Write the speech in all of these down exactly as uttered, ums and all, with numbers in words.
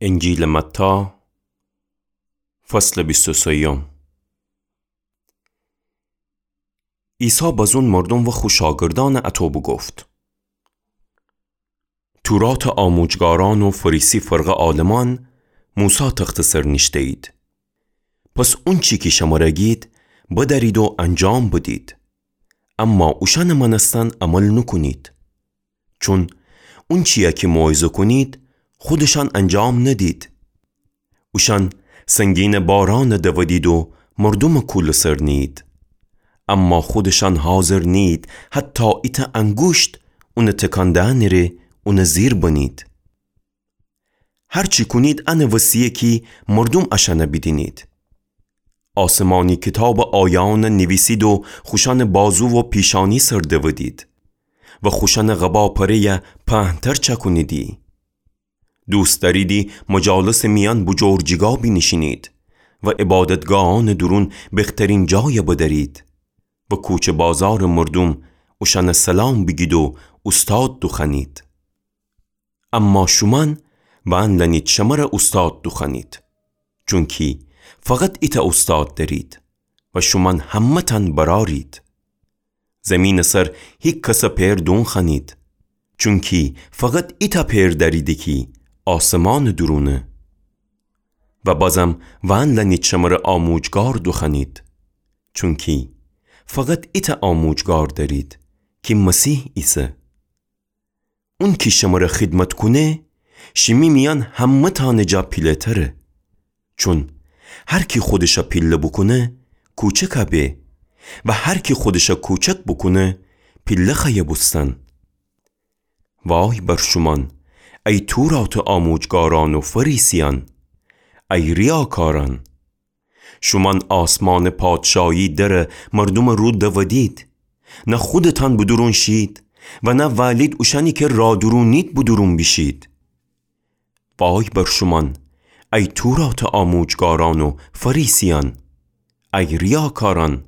انجیلٚ متی، فصلٚ بیست و سیوم. عیسی بزون مردوم و خو شاگردأنٚ اطو بوگفت: توراتٚ آموجگارأن و فریسی فرقه عالمأن موسی تختٚ سر نیشته‌یید. پس اونچی کی شمره گید، بدأرید و انجام بدید. اما اوشأنٚ مأنستن عمل نوکونید. چون اونچیی کی موعظه کونید، خودشأن انجام ندید. اوشأن سنگینٚ بارأن دودید و مردومٚ کولٚ سر نیید. اما خودشأن حاضر نیید حتی ایتأ انگوشت اونٚ تکان دئنٚ ره اونٚ زیر بنید. هر چی کونید انٚ وسیه کی مردوم اشأن بیدینید. آسمانی کتابٚ آیه‌أن نیویسید و خوشأنٚ بازو و پیشأنی سر دودید و خوشأنٚ قبا پره‌یَ پهن‌تر چأکونیدی. دوست دأریدی مجالسٚ میأن بوجور جیگا بینیشینید و عبادتگاهأنٚ دورون بخترین جایَ بدأرید و کوچه بازارٚ مردوم اوشأنَ سلام بیگید و اوستاد دوخوأنید. اما شومأن وأن لأنید شمره اوستاد دوخوأنید، چونکی فقط ایتأ اوستاد دأرید و شومأن همه‌تأن برأرید. زیمینٚ سر هیکسٚ پئر دونخوأنید، چونکی فقط ایتأ پئر دأریدی کی آسمانٚ دورونه. و بازم وأن لأنید شمره آموجگار دوخوأنید، چونکی فقط ایتأ آموجگار دأرید کی مسیح ایسه. اونکی شمره خیدمت کونه، شیمی میأن همه‌تأنٚ جا پیله‌تره. چون هر کی خودشَ پیله بوکونه، کوچکَ به، و هر کی خودشَ کوچک بوکونه، پیله خوأیه بوستن. وای بر شومأن، ای توراتٚ آموجگارأن و فریسیأن، ای ریاکارأن! شومأن آسمانٚ پادشاهی درَ مردومٚ رو دودید، نه خودتأن به دورون شید و نه وألید اوشأنی کی رادورونید به دورون بیشید. وای بر شومأن، ای توراتٚ آموجگارأن و فریسیأن، ای ریاکارأن!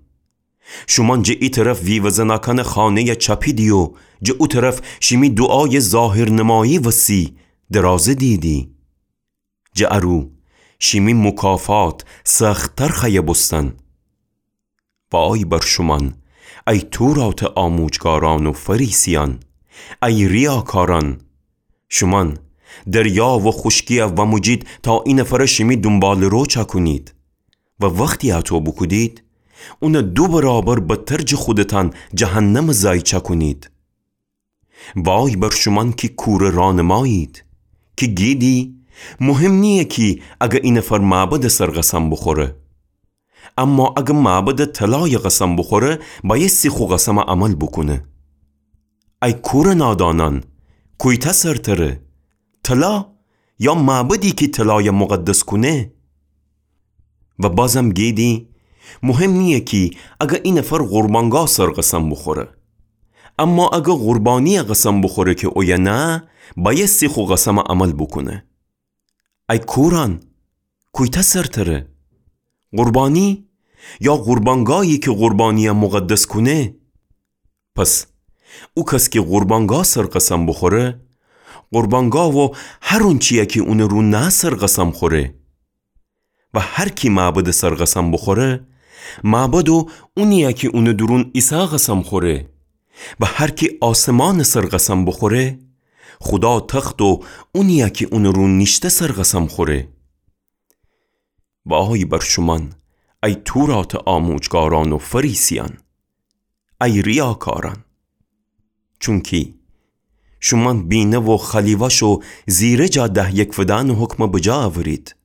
شومأن جٚه ای طرف ویوه زنأکأنٚ خانه‌یَ چأپیدی و جٚه او طرف شیمی دوعایٚ ظاهرنمایی وسی درازه دیدی. جٚه ا رو شیمی مکافات سخت‌تر خوأیه بوستن. وای بر شومأن، ای توراتٚ آموجگارأن و فریسیأن، ای ریاکارأن! شومأن دریا و خوشکی‌یَ وأموجید تا ای نفرَ شیمی دونباله‌رو چأکونید و وختی اَتو بوکودید، اونَ دو برابر بدتر جٚه خودتأن جهنمٚ زأی چأکونید. وای بر شومأن کی کورٚ رانمایید، کی گیدی مهم نییه کی اگر ای نفر معبدٚ سر قسم بوخوره، اما اگر معبدٚ طلایَ قسم بوخوره، بأیستی خو قسمَ عمل بوکونه. ای کورٚ نادانأن، کویتأ سرتره، طلا یا معبدی کی طلایَ مقدس کونه؟ و بازم گیدی مهم نییه کی اگر ای نفر قربانگاه سر قسم بوخوره، اما اگر قربانی‌یَ قسم بوخوره کی اویه نه، بأیستی خو قسمَ عمل بوکونه. ای کورأن، کویتأ سرتره، قربانی یا قربانگاهی کی قربانی‌یَ مقدس کونه؟ پس او کس کی قربانگاه سر قسم بوخوره، قربانگاه و هر اونچی‌یَ کی اونٚ رو نه سر قسم خوره. و هر کی معبدٚ سر قسم بوخوره، معبد و اونی‌یَ کی اونٚ دورون ایسه قسم خوره. و هر کی آسمانٚ سر قسم بوخوره، خودا تخت و اونی‌یَ کی اونٚ رو نیشته سر قسم خوره. وای بر شومأن، ای توراتٚ آموجگارأن و فریسیأن، ای ریاکارأن! چونکی شومأن بینه و خألی وأش و زیره جا ده‌یک فدأنٚ حکمَ بجا اورید،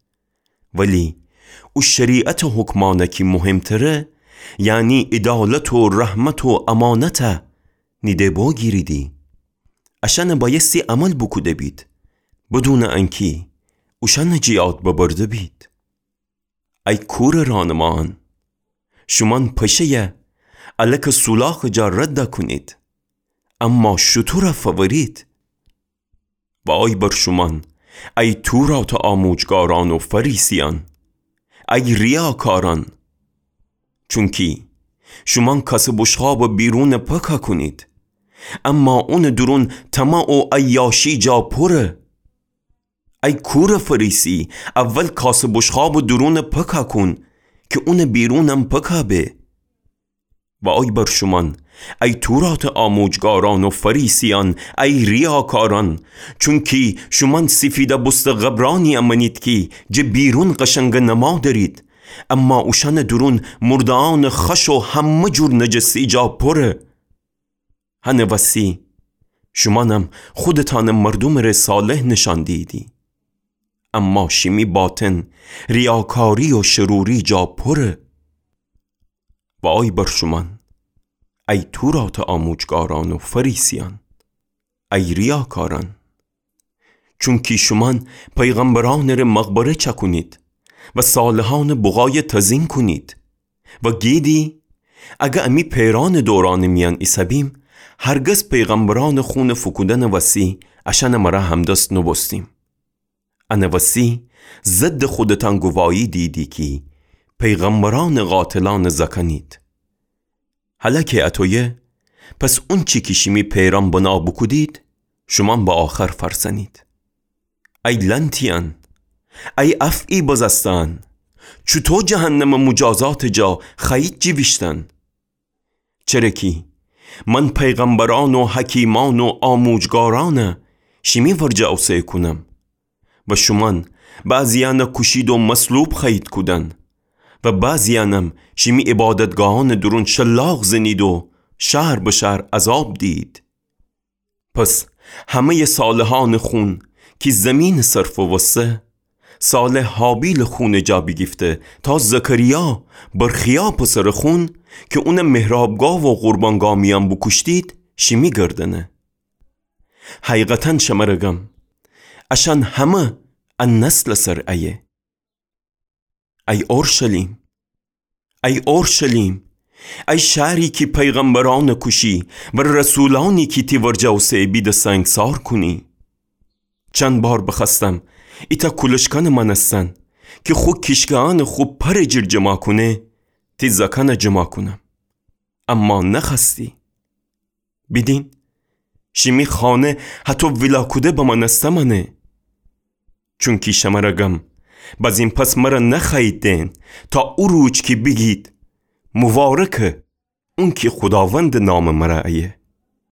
ولی او شریعتٚ حکمأنَ کی مهمتره، یعنی عدالت و رحمت و امانتَ، نیده بوگیریدی. اشأنَ بأیستی عمل بوکوده بید، بدونٚ انکی اوشأنَ جٚه یاد ببرده بید. ای کورٚ رانماأن، شومأن پشه‌یَ الکٚ سولاخٚ جا رد کونید، اما شوتورَ فورید. وای بر شومأن، ای توراتٚ آموجگارأن و فریسیأن، ای ریاکارأن! چونکی شومأن کاسٚ بوشقابٚ بیرونَ پاکَ کونید، اما اونٚ دورون طمع و عیاشی جا پوره. ای کورٚ فریسی، اول کاسٚ بشقابٚ دورونٚ پکا کون، کی اونٚ بیرونم پکا به. وای بر شومأن، ای توراتٚ آموجگارأن و فریسیأن، ای ریاکارأن، چونکی شومأن سیفیده بوسته قبرأنیی مأنید کی جٚه بیرون قشنگٚ نما دأرید، اما اوشأنٚ دورون مردهأنٚ خش و همه جور نجسی جا پوره. هنٚ وسی شومأنم خودتأنٚ مردومٚ ره صالح نشأن دییدی، اما شیمی باطن ریاکاری و شروری جا پوره. وای بر شومأن، ای توراتٚ آموجگارأن و فریسیأن، ای ریاکارأن، چونکی شومأن پیغمبرأنٚ ره مقبره چأکونید و صالحأنٚ بقایه تزیین کونید و گیدی، اگر امی پئرأنٚ دورأنٚ میأن ایسه‌بیم، هرگز پیغمبرأنٚ خونٚ فوکودنٚ وسی اشأنٚ مرأ همدست نوبوستیم. انٚ وسی ضدٚ خودتأن گواهی دییدی کی پیغمبرأنٚ قاتلأنٚ زأکأنید. هلأ کی اطویه، پس اونچی کی شیمی پئرأن بنا بوکودید، شومأن به آخر فأرسأنید. ای لأنتیأن، ای افعی بزسته‌أن، چوطو جهنمٚ موجازاتٚ جا خوأیید جیویشتن؟ چره کی من پیغمبرأن و حکیمأن و آموجگارأن شیمی ورجه اوسه کونم و شومأن بعضیأن کوشید و مصلوب خوأیید کودن و بعضیأنم شیمی عبادتگاهأنٚ دورون شلاق زنید و شهر به شهر عذاب دیید. پس همه‌یٚ صالحأنٚ خون کی زیمینٚ سر فووسته، صالح هابیلٚ خونٚ جا بیگیفته، تا زکریا، برخیا پسرٚ خون، کی اونٚ محرابگاه و قربانگاه میأن بوکوشتید، شیمی گردنه. حقیقتاً شمره گم، اشأن همه ا نسلٚ سر ایه. ای اورشلیم، ای اورشلیم، ای شهری کی پیغمبرأنٚ کوشی و رسولأنی کی تی ورجه اوسه بیده سنگسار کونی. چند بار بخوأستم ایتأ کولشکنٚ مأنستن کی خو کیشکه‌أنٚ خو پرٚ جیر جمع کونه، تی زأکأنٚ جمع کونم، اما نخوأستی. بیدین، شیمی خانه هطو ویلا کوده بمأنسته مأنه. چونکی شمره گم، بزین پس مره نخوأیید دئن، تا او روج کی بیگید، مبارکه اونکی خوداوندٚ نامٚ مره ایه.